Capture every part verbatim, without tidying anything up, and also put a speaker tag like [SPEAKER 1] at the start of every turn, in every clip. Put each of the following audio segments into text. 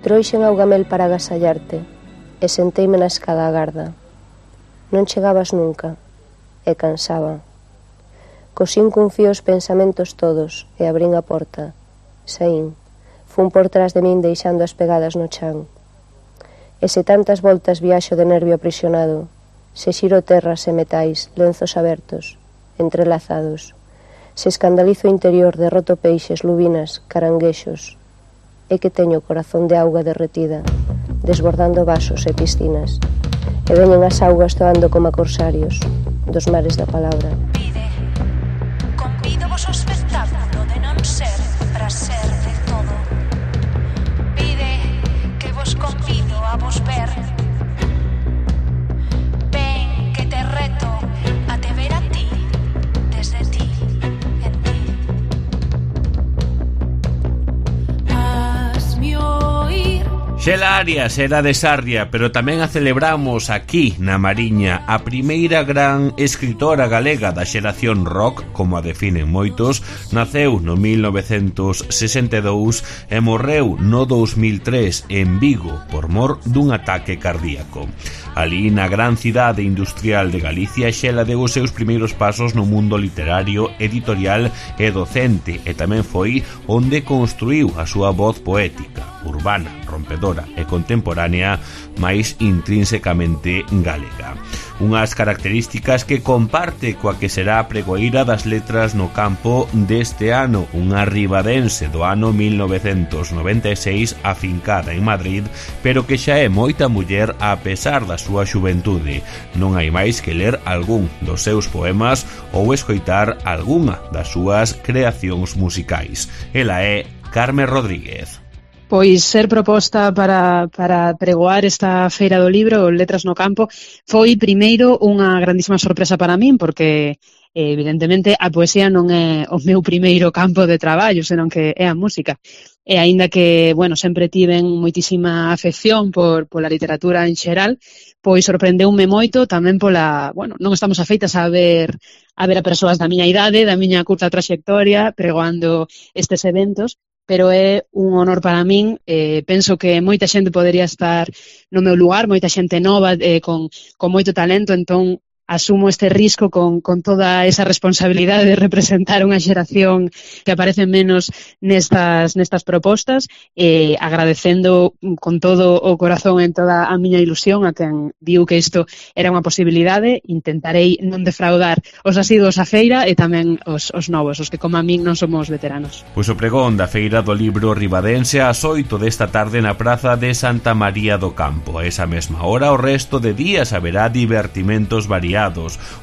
[SPEAKER 1] Trouxen augamel para agasallarte e senteime na escada a garda. Non chegabas nunca, e cansaba. Cosín cun fío os pensamentos todos e abrín a porta. Saín, fun por trás de min deixando as pegadas no chan. E se tantas voltas viaxo de nervio aprisionado, se xiro terras e metais, lenzos abertos, entrelazados, se escandalizo interior de roto peixes, lubinas, caranguexos, é que teño o corazón de auga derretida, desbordando vasos e piscinas, e veñen as augas toando como a corsarios dos mares da palabra.
[SPEAKER 2] Pide, convido vos ao espectáculo de non ser para ser de todo. Pide que vos convido a vos ver. Ven que te reto a te ver a ti, desde ti, en ti. Hazme oír.
[SPEAKER 3] Xela Arias era de Sarria, pero tamén a celebramos aquí na Mariña, a primeira gran escritora galega da xeración rock, como a definen moitos. Naceu no mil novecentos sesenta e dous e morreu no dous mil tres en Vigo por mor dun ataque cardíaco. Alí na gran cidade industrial de Galicia, Xela deu os seus primeiros pasos no mundo literario, editorial e docente, e tamén foi onde construiu a súa voz poética, urbana, rompedora e contemporánea, máis intrínsecamente galega. Unhas características que comparte coa que será a pregoeira das letras no campo deste ano, unha ribadense do ano mil novecentos noventa e seis afincada en Madrid, pero que xa é moita muller a pesar da súa xuventude. Non hai máis que ler algún dos seus poemas ou escoitar algunha das súas creacións musicais. Ela é Carme Rodríguez.
[SPEAKER 4] Pois ser proposta para, para pregoar esta feira do libro, Letras no Campo, foi primeiro unha grandísima sorpresa para min, porque evidentemente a poesía non é o meu primeiro campo de traballo, senón que é a música. E aínda que, bueno, sempre tiven moitísima afección por pola literatura en xeral, pois sorprendeume moito tamén pola, bueno, non estamos afeitas a ver a ver a persoas da miña idade, da miña curta traxectoria, pregoando estes eventos, pero é un honor para min. Eh, penso que moita xente podería estar no meu lugar, moita xente nova, eh, con, con moito talento, entón asumo este risco con, con toda esa responsabilidade de representar unha xeración que aparece menos nestas, nestas propostas, eh, agradecendo con todo o corazón en toda a miña ilusión a quen viu que isto era unha posibilidade. Intentarei non defraudar os asiduos á feira e tamén os, os novos, os que como a min non somos veteranos.
[SPEAKER 3] Pois o pregón da Feira do Libro Ribadense ás oito desta tarde na Praza de Santa María do Campo. A esa mesma hora, o resto de días haberá divertimentos variados.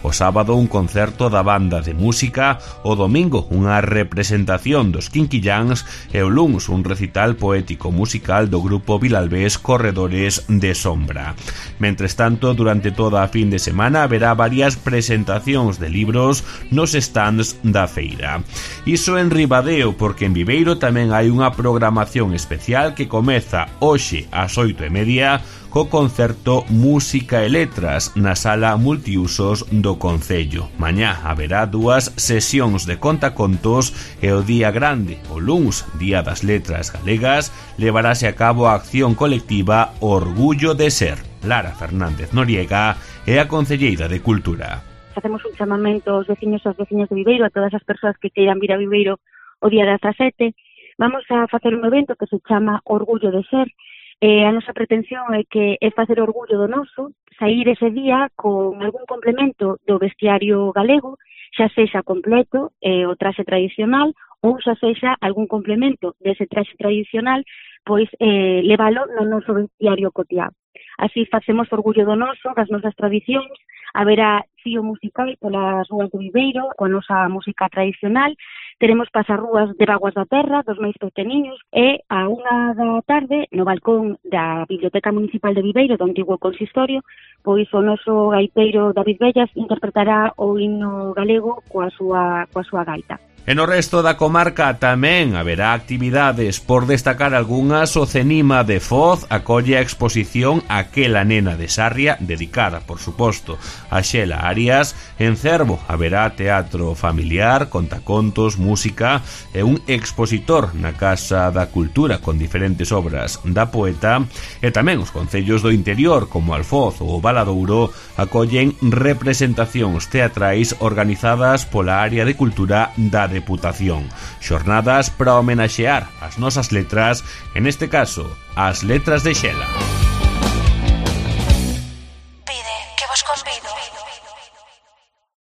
[SPEAKER 3] O sábado un concerto da banda de música, o domingo unha representación dos Quinquilláns e o luns un recital poético musical do grupo vilalbés Corredores de Sombra. Mentres tanto, durante toda a fin de semana haberá varias presentacións de libros nos stands da feira. Iso en Ribadeo, porque en Viveiro tamén hai unha programación especial que comeza hoxe ás oito e media co concerto Música e Letras na sala multiusos do Concello. Mañá haberá dúas sesións de contacontos e o día grande, o luns, Día das Letras Galegas, levarase a cabo a acción colectiva Orgullo de Ser. Lara Fernández Noriega é a concelleira de Cultura.
[SPEAKER 5] Facemos un chamamento aos veciños e aos veciños de Viveiro, a todas as persoas que queiran vir a Viveiro o día dezasete. Vamos a facer un evento que se chama Orgullo de Ser. Eh, a nosa pretensión é que é facer orgullo do noso, sair ese día con algún complemento do vestiario galego, xa sexa completo, eh, o traxe tradicional, ou xa sexa algún complemento dese traxe tradicional, pois eh, levalo no noso vestiario cotiá. Así facemos orgullo do noso, das nosas tradicións, haberá fío musical polas rúas de Viveiro, coa nosa música tradicional, teremos pasarrúas de Vaguas da Terra, dos máis pequeniños, e a unha da tarde, no balcón da Biblioteca Municipal de Viveiro, do antigo consistorio, pois o noso gaiteiro David Bellas interpretará o himno galego coa súa, coa súa gaita.
[SPEAKER 3] E no resto da comarca tamén haberá actividades. Por destacar algunhas, o Cenima de Foz acolle a exposición Aquela nena de Sarria, dedicada, por suposto, a Xela Arias. En Cervo haberá teatro familiar, contacontos, música e un expositor na Casa da Cultura con diferentes obras da poeta. E tamén os concellos do interior, como Alfoz ou Valadouro, acollen representacións teatrais organizadas pola área de cultura da Deputación. Xornadas para homenaxear as nosas letras, en este caso, as letras de Xela.